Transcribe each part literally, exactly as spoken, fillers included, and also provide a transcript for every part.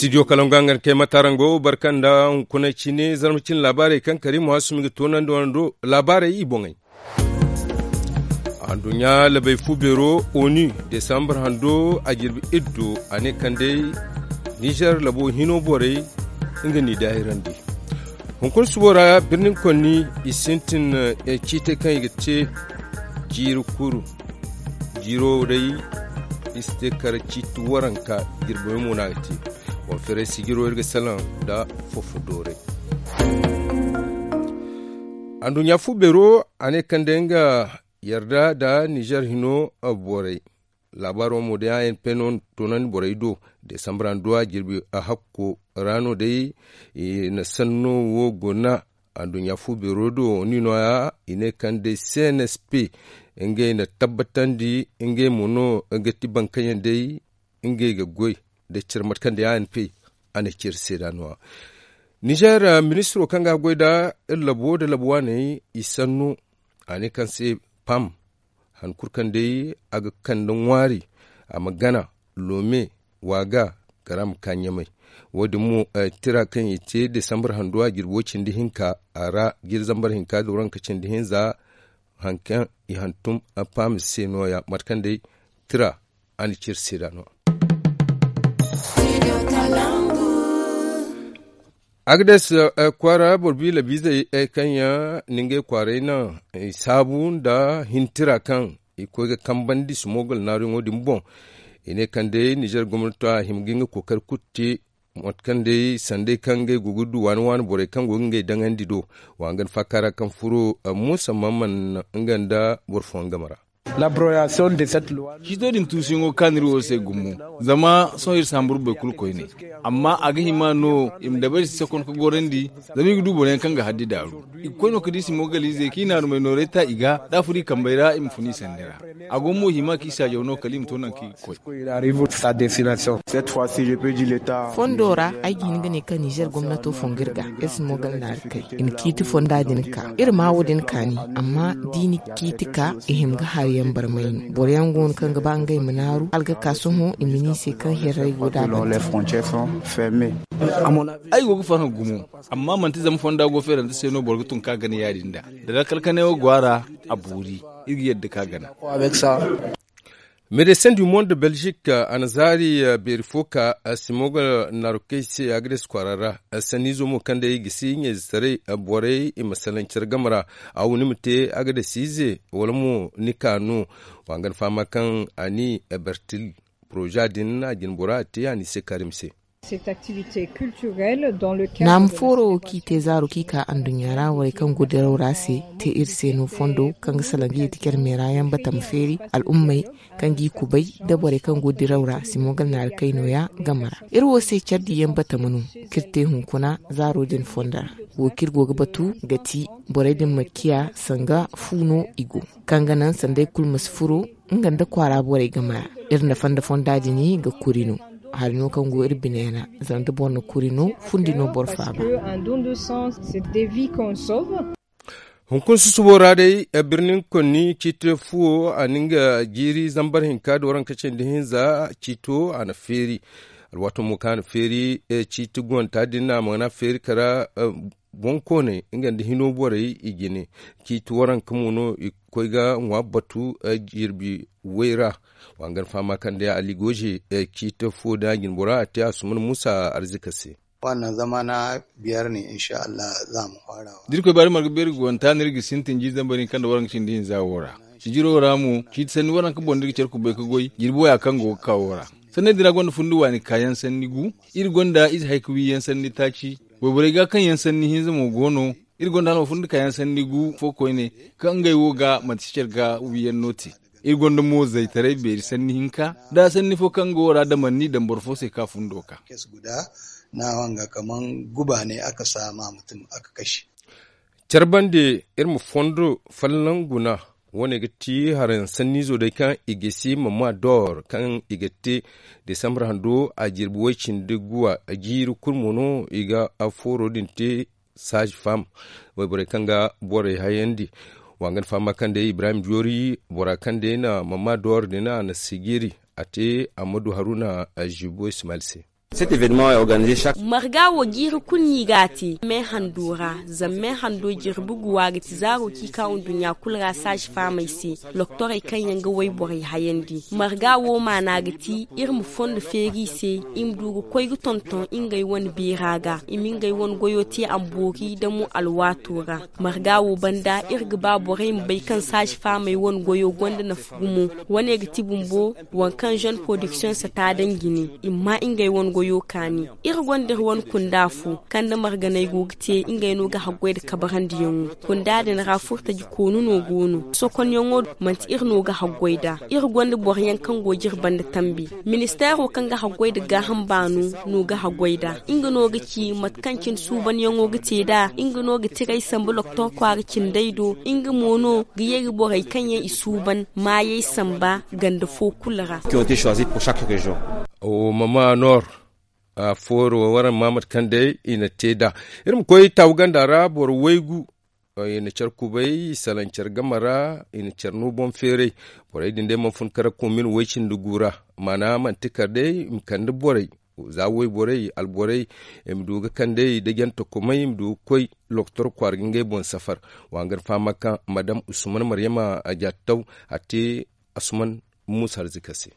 Studio kalangu a nga ni kay matarango barka nda hunkuna cine zarma cine laabaarey kaŋ kari muhassumi ga toonandi wando laabaarey i boŋey. Anduɲɲa labey fu beero onu desambar hando a jirbi iddo a ne kaŋ day nizer labo hino borey nga n'i daahirandi. Hunkuna subo ra birnin konni i sintin ciitey kaŋ i ga te jiiri kuru. Jiiro day i si te kala ciiti waranka jirbi way mo no a ga te. Wala feeray sijiro iri ga salaŋ nda fofo dooray. Anduɲɲa fu beero a ne kaŋ day nga yarda nda nizer hino borey. Laabaaro mo day a n p no toonandi borey do desambar anduwa jirbi hakko ra no day i na sanno wo guna. Anduɲɲa fu beero do ni nooya i ne kaŋ day cnsp ngey na tabbatandi ngey mo no ga ti bankayaŋ day ngey ga goy da care mate kaŋ day a n p a na care seeda nooya. Nizer ministiro kaŋ ga a goy nda iri labo nda labo waaney i sanno a ne kaŋ se pam han kulu kaŋ day a ga kande ŋwaari a ma gana loome waaga kala a ma ka ɲamay. Wo- din mo tira kaŋ i te desambar hando a jirbi way cindi hinka a ra jiiri zambar hinka da waranka cindi hinza. Hari kaŋ i hantum pam se nooya mate kaŋ day tira a na ciri seeda no. Agades kwaara boro bi labiizey kaŋ yaŋ na ngey kwaaray naŋ i saabu nda hintira kaŋ i koy ga kambandi sumogol naaruyaŋo din boŋ. I ne kaŋ day nizer gomnato a hima ga nga kookari kulu te mate kaŋ day sanday kaŋ ngey go ga du waani waani borey kaŋ go ga ngey daŋandi do. Wa nga ni faaka ra kaŋ furo muusa mamman nga nda boro fooyaŋ game ra. Ciito din tuusuyaŋo kaanu iri wo se gumo. Zama sohõ iri si hamburu boro kulu koyne. Amma a ga hima no i ma dabari si sakon ka gorandi. Zama i ga du boro yaŋ kaŋ ga haddi daaru i ga koy no ka di simogaliizey kaŋ i naarumey nooray ta i ga da a furo i kambey ra i ma fun i sanni ra. A go mo hima kaŋ i saajaw no kala i ma to nangu kaŋ i ga koy. Fondo ra ay ga hin ga ne kaŋ nizer gomnato fongo iri ga iri si mo ganda naari kay i na ciiti fonda din ka iri ma wo- din kaani. Amma da i na ciiti ka i hima ga hari yaŋ barmay no boro yaŋ go no kaŋ ga ba ngey ma naaru hala ga ka sohõ i ma ne i se kaŋ hirray go da a banda. Ay go ga farhã gumo. Amma manti zama fonda go feerante se no boro ga tun ka gana ya- din da da lakkal kanay wo go a ra. A boori iri ga yadda ka gana. Médecins du monde belgique a na zaari beeri fo ka simoga naarukey se agades kwaara ra. Sanniizo mo kaŋ day i ga si ɲayzetaray borey i ma salaŋ care game ra. A wo ni ma te agades ize wala mo ni ka no? Wa nga ni fahama kaŋ a ni bertil poroza din a jine bora a te a ni se karim se. Naamu fooro wo kaŋ i te zaaro kaŋ i ka anduɲɲa ra borey kaŋ go diraw ra se te iri se no fondo kaŋ ga salaŋ ga yeeti care meera yaŋ batama feeri al'ummey kaŋ g'i kubay nda borey kaŋ go diraw ra simogal naari kay nooya game ra. Iri wo se care diyaŋ batama no kaŋ iri te hunkuna zaaro din fondo ra. Wo kaŋ iri go ga batu ga ti borey din ma ciya sanga fu no i go kaŋ ga naŋ sanday kulu ma si furo nga nda kwaara borey game ra. Iri na fonda fonda din ga kuri no. Hari no kaŋ go iri bine ra zama da boro na kuri no fundi no boro faaba. Hunkuna susubo ra day birnin konni ciiti fuwo a na nga jiiri zambar hinka da waranka cindi hinza ciito a na feeri. Alwaato mo kaŋ a na feeri ciiti guwanta din no a mana feeri kara. Boŋkooney nga nda hino borey i jine ciiti waranka mo no i ga koy ga ŋwa batu jirbi way ra. Wa nga ni fahama kaŋ day ali goje ciiti fo da a jine bora a te a sumana muusa arzika se. Wannan zama na biyar ne insha Allah za mu fara wa. Da irkoy baari marga beeri ga wanta no iri ga sintin jiiri zambar hinka nda waranka cindi hinza wo ra. Sijiro ra mo ciiti sanni waranka boŋ no iri ga care kubay ga goy jirbi waya kaŋ go ga ka wo ra. Sanney din ra gonda fundi waani kaayaŋ sanni gu. Iri gonda ize hay ga wi yaŋ sanni taaci. Wayborey ga kaŋ yaŋ sanni hinza mo go no. Iri gonda hano fundi kaayaŋ sanni gu fo koyne kaŋ ngey wo ga manti si care ga wi yaŋ no te. Iri gonda mo zaytaray beeri sanni hinka da sanni fo kaŋ go ra damanni daŋ boro fo se ka fundo ka. Care bande iri ma fondo folloŋ guna. Wo- ne ga ti haraŋ sanniizo day kaŋ i ga si mama dor kaŋ i ga te desambar hando a jirbi way- cindi guwa jiiri kulu mo no i ga fooro din te. Saazi fam wayborey kaŋ ga borey hayandi. Wa nga ni fahama kaŋ day ibrahim joori bora kaŋ day na mama dor din a na sigiri a te ammadu haruna. Zibo ismail se. Marga wo jiiri kulu no i g'a te me hando ra. Zama me hando jirbi guwa ga ti zaaro kaŋ i ka nduɲɲa kulu ra saazi faamey se. Loktorey kaŋ yaŋ ga wayborey hayandi marga wo maana ga ti iri ma fondo feeri i se. I ma du ga koy ga tonton ngey wane beera ga i ma ngey wane goyo te a ma boori damo alwaato ra. Marga wo banda iri ga ba borey ma bay kaŋ saazi faamey wane goyo gonda nafa gumo. Wane ga ti bumbo waŋ kaŋ zone production sata daŋ jine i ma ma ngey wane goyo kaani. Iri gonda iri wane kunda fo kaŋ nda marganey go ga te ngey no ga haggoy nda kabarandiyaŋo. Kunda din ra furtaji koonu no go no sokonyaŋo. Manti iri no ga haggoy nd'a. Iri gonda boro yaŋ kaŋ go ga iri banda tambi. Ministeero kaŋ ga haggoy nda gaaham baano no ga haggoy nd'a. Nga no ga ci mate kaŋ cine suubanyaŋo ga te nd'a. Nga no ga tiray sambu loktor kwaara cindey do. Nga mo no ga ye ga borey kaŋ yaŋ i suuban maayey samba ganda fo kulu ra. Mama noor a fooro waraŋ ma mate kaŋ day i na te nd'a. Iri ma koy taawu ganda ra boro waygu i na care kubay i salaŋ care game ra. I na care no boŋ feeray. Borey din day mana fun kara komin way cindi gu ra. Maana manti kar day i ma kande borey za wayborey alborey i ma du ga kande i da jante komay i ma du ga koy loktor kwaara ga ngey boŋ safar. Wa ga ni fahama kaŋ madam usman maryama a jaataw a te asuman muusa arzika se.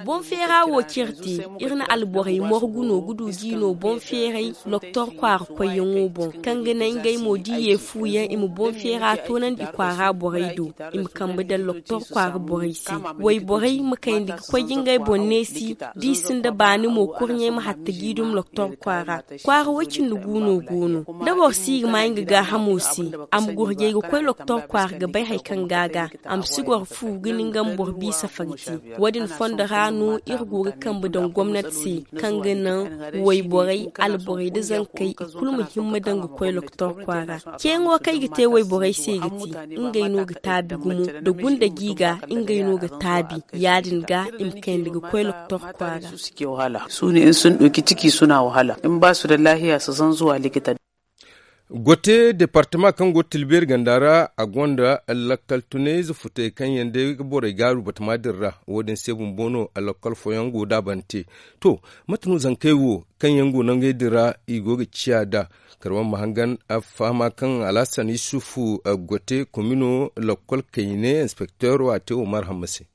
Boŋ feera wo cire te. Iri na alborey morgu no ga du ga i no boŋ feeray loktor kwaara koyyaŋo boŋ kaŋ ga naŋ ngey mo da i ye fu yaŋ i ma boŋ feera toonandi i kwaara borey do. I ma kambe daŋ loktor kwaara borey se. Wayborey ma kayndi ga koy ga ngey boŋ neesi da i sinda baani mo kurɲey ma hatta ga i dum loktor kwaara. Kwaara way cindi gu no go no da boro si ga ma nga gaahamo se. A ma gurjay ga koy loktor kwaara ga bay hari kaŋ ga a ga a ma si goro fu ga ni nga ma boro bi safari te. Wo- din fondo ra no iri go ga kambe daŋ gomnati se kaŋ ga naŋ wayborey alborey nda zankey i kulu ma himma daŋ ga koy loktor kwaara. Ceeyaŋo kaŋ i ga te wayborey se ga ti ngey no ga taabi gumo nda gunda gi ga ngey no ga taabi. Ya- din ga i ma kayndi ga koy loktor kwaara. Su ne in sun ɗauki ciki suna wahala in ba su da lahiya su zan zuwa likita. Gote departama kaŋ go tilbeeri ganda ra a gonda lakkal tunayze futey kaŋ yaŋ day ga borey gaaru batama din ra. Wo- din se bumbo no lakkal fooyaŋ go daabante. To, mate no zankey wo kaŋ yaŋ go nangey din ra i go ga ciya nd'a? Kala waraŋ ma hangan fahama kaŋ alhasan yusufu gote komino lakkal kayne inspekteero a te wo marhamma se.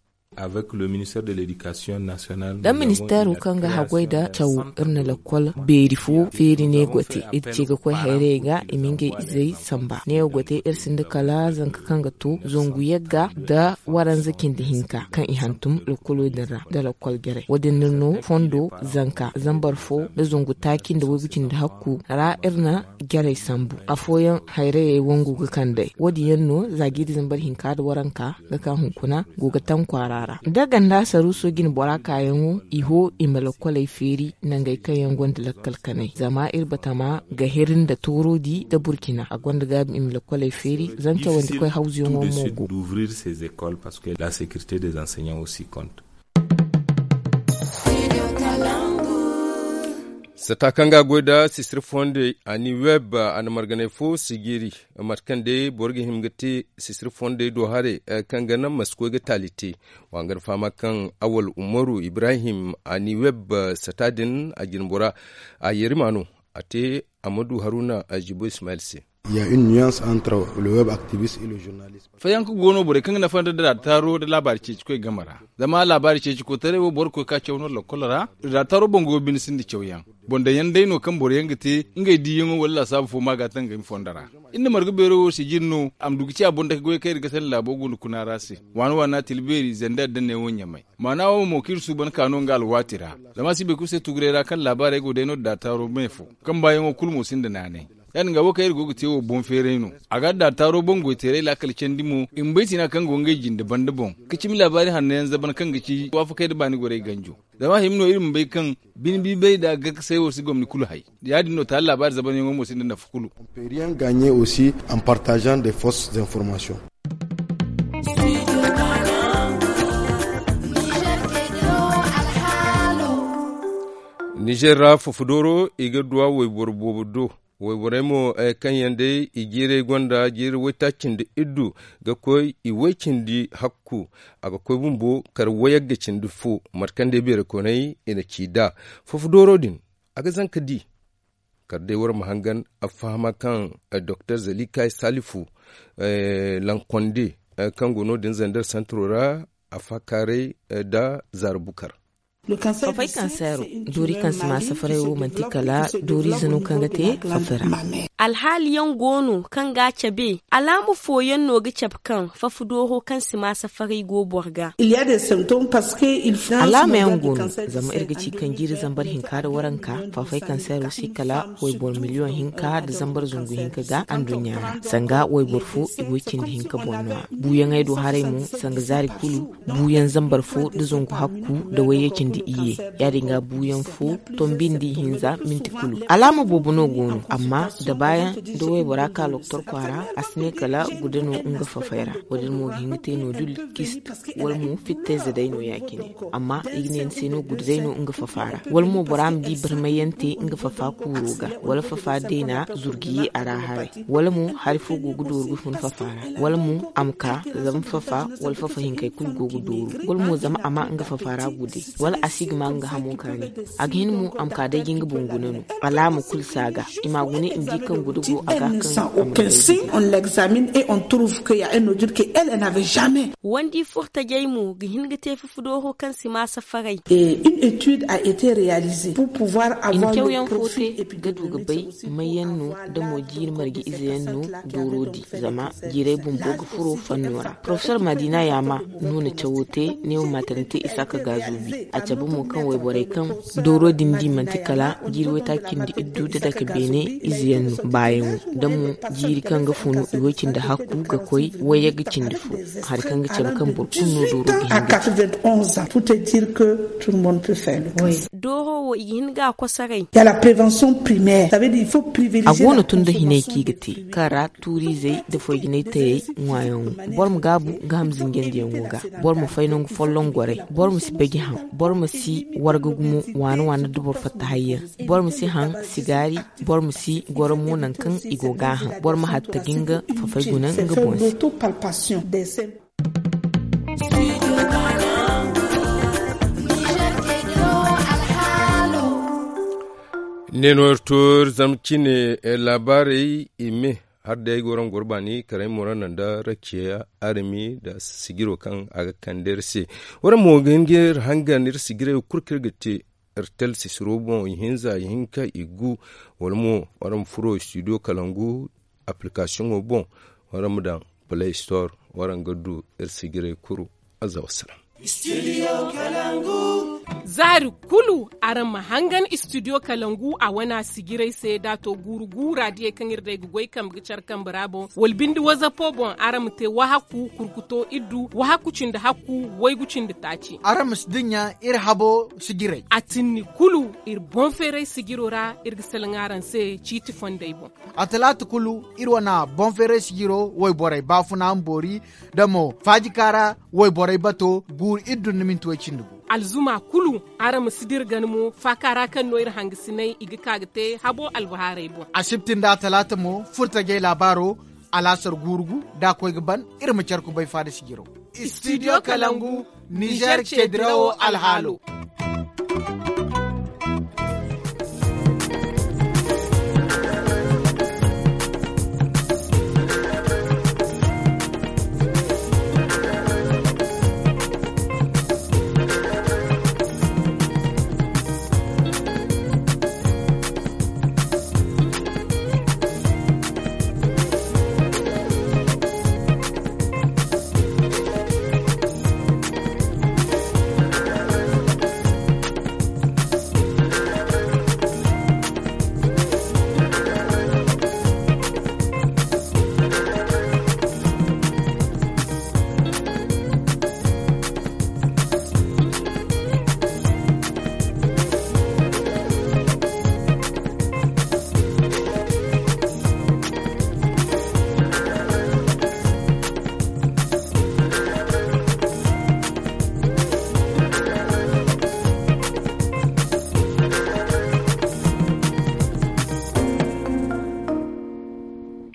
Nda ministeero kaŋ ga haggoy nda cawo iri na lakkol beeri fo feeri ne gote. Iri ce ga koy hayrayey ga i ma ngey izey samba neewo gote iri sinda kala zanka kaŋ ga to zangu yagga nda waranza cindi hinka kaŋ i hantum lakkolo din ra nda lakkol jarey wo- din no fondo zanka zambar fo nda zangu taaci nda waygu cindi hakku ra iri na jarey sambu afooyaŋ hayrayey wangu ga kand'ey wo- din yaŋ no za jiiri zambar hinka nda waranka ga ka hunkuna go ga taŋ kwaara ra da ganda saruuso jine bora kaayaŋo i ho i ma lakkoley feeri nangey kaŋ yaŋ gonda lakkal kanay zama iri batama ga heri nda toorodi nda burkina a gonda gaabi i ma lakkoley feeri zama cawandi koy hawzuyaŋo mo go. Sata kaŋ ga a goy nda sisiri fondey a ni web a na marganay fo sijiri mate kaŋ day boro ga hin ga te sisiri fondey do haray kaŋ ga naŋ ma si koy ga taali te. Wa nga na fahama kaŋ awal umaru ibrahim a ni web sata din a jinbora a yeerima no a te amadu haruna a jibo ismail se. Fayanka go no borey kaŋ ga nafa nda daataaro nda laabaari ceeci koy game ra. Zama laabaari ceeci koytaray wo boro ga koy ga caw no lakkol ra. Daataaro boŋ go binde sinda cawyaŋ boŋ daŋ yaŋ day no kaŋ boro yaŋ ga te ngey diiyaŋo wala laasaabu fo ma ga taŋ ga ay ma fondo ra. Iri na marga beero wo sijiri no a ma du ga ci a boŋ dake goyey kaŋ iri ga sanda laabo gunda kuna ra se. Waana waana tila beeri zandar da neewo ɲamay maana wo mo kaŋ iri suuban ka no nga alwaati ra. Zama si boro kulu se tuguray ra kaŋ laabaarey go day no daataaro me fo kaŋ baayaŋo kulu mo sinda naanay. Ya- din ga wo kaŋ iri go ga te wo boŋ feeray no. A ga daataaro boŋ goyteeray laakal candi mo i ma bay tina kaŋ go ngey jinde banda boŋ ka cimi laabaari hanno yaŋ zaban kaŋ ga ci waafakey nda baani gorey ganjo. Zama hima no iri ma bay kaŋ bine biibay nda gakkasay wo si gomni kulu hay. Ya- din no taali laabaari zabanyaŋo mo sinda nafa kulu. Gagne aussi en partageant des fausses informations. Nizer ra fofodooro i ga duwa wayboro boobo do. Wayborey mo kaŋ yaŋ day i jiirey gonda jiiri waytaaci nda iddu ga koy i way cindi hakku. A ga koy bumbo kar wayagga cindi fo mate kaŋ day beeray koney i na ci nd'a. Foofu dooro din a ga zanka di kar day war ma hangan a fahama kaŋ doktor zalikay salifu lankonde kaŋ go no- din zander santiro ra a faakaaray nda zaara bukar. Fafay kanseero doori kaŋ si ma safaray wo manti kala dooriize no kaŋ ga te fafa ra. Alhaaliyaŋ go no kaŋ ga a cabe alaama fooyaŋ no ga cabe kaŋ fafa dooro kaŋ si ma safaray go boro ga. Alaama yaŋ go no zama iri ga ci kaŋ jiiri zambar hinka nda waranka fafay kanseero se kala wayboro miliyoŋ hinka nda zambar zangu hinka ga anduɲɲa ra sanga wayboro fo i go cindi hinka boŋ no a buuyaŋey do haray mo sanga zaari kulu buuyaŋ zambar fo nda zangu hakku nda wayye cindi iyye. Ya- din ga buuyaŋ fo tombindi hinza minti kulu alaama boobo no go no amma da baayaŋ nda waybora ka loktor kwaara a si ne kala guda no nga fafay ra. Wo- din mo ga hin ga te no- din kist wala mo fittayze day no ya- cine. Amma i ga ne ni se no guda day no nga fafa ra wala mo bora ma di barmayyaŋ te nga fafa kuuro ga wala fafa deena zurgiye a ra haray wala mo hari fo go ga dooru ga fun fafa ra wala mo a ma ka zama fafa wala fafa hinkey kulu go ga dooru wala mo zama a ma nga fafa ra gude wala a si ga ma nga hamo kaani. A ga hin mo a ma ka day ga nga boŋ guna no alaama kulu si a ga i ma a guna i ma di kaŋ gude go a ga kaŋ a ma day ga. Wandi furtajey mo ga hin ga te fufudooro kaŋ si ma safaray. I na cawyaŋ fo te ga du ga bay mayyaŋ no da mo jiiri marje ize yaŋ no dooro di zama jiirey bumbo ga furo fanno ra porofesor madina yaama no na cawo te neewo matarante isaaka gaazubi a cabe mo kaŋ wayborey kaŋ dooro din di manti kala jiiri waytaaci cindi iddu da dake beene ize yaŋ no baayaŋo da mo jiiri kaŋ ga funu i way cindi hakku ga koy wayyaŋ ga cindi fo hari kaŋ ga cabe kaŋ boro kulu no dooro ga hin ga te. Dooro wo i ga hin ga a kosoray. A go no tun da hinay kaŋ i ga te kaŋ ra tuuriizey nda foy jinay tayey ŋwaayaŋo. Boro ma gaabu ga ham zinjandiyaŋo ga. Boro ma fay nangu folloŋ goray. Boro ma si baji haŋ. Boro ma si warga gumo waana waana da boro fatta hayyaŋ. Boro ma si haŋ sigaari. Boro ma si goro mo nangu kaŋ i go ga a haŋ. Boro ma hatta ga nga fafay guna nga boŋ se. Ne no iri to iri zama cine laabaarey i me. Hala day ay go ra nga goro baani kala ay mo ra naŋ da rakiya arami nda sijiro kaŋ a ga kande iri se. Waraŋ mo ga hin ga iri hangan iri sijirey kulu kaŋ iri ga te iri tala sisiro boŋ ihinza ihinka igu. Wala mo waraŋ ma furo studio kalangu application boŋ. Waraŋ ma daŋ play store waraŋ ga du iri sijirey kulu. Azza wassalam. Zaari kulu araŋ ma hangan studio kalangu a wana sijiray se da to guuru guura diyey kaŋ iri day ga goy kambe ga care kambe ra boŋ wala binde wazapo boŋ araŋ ma te wahaku kurkuto iddu wahaku cindi hakku waygu cindi taaci. Araŋ ma si dinya iri habo sijiray a tinni kulu iri boŋ feeray sijiro ra. Iri ga salaŋ araŋ se ciiti fondey boŋ. A talaata kulu iri wana boŋ feeray sijiro wayborey baafuna ma boori da mo faajikaara wayborey bato guuru iddu nda minti way cindi gu. Alzuma kulu araŋ ma si dira gana mo faaka ra kaŋ no iri hangasinay i ga ka ga te habo albahaarey boŋ. Asibti nda atalaata mo furtajey laabaaro alaasar guuru gu da a koy ga ban. Iri ma care kubay faada sijiro. Studio kalangu nizer ceedirawo alhaalo.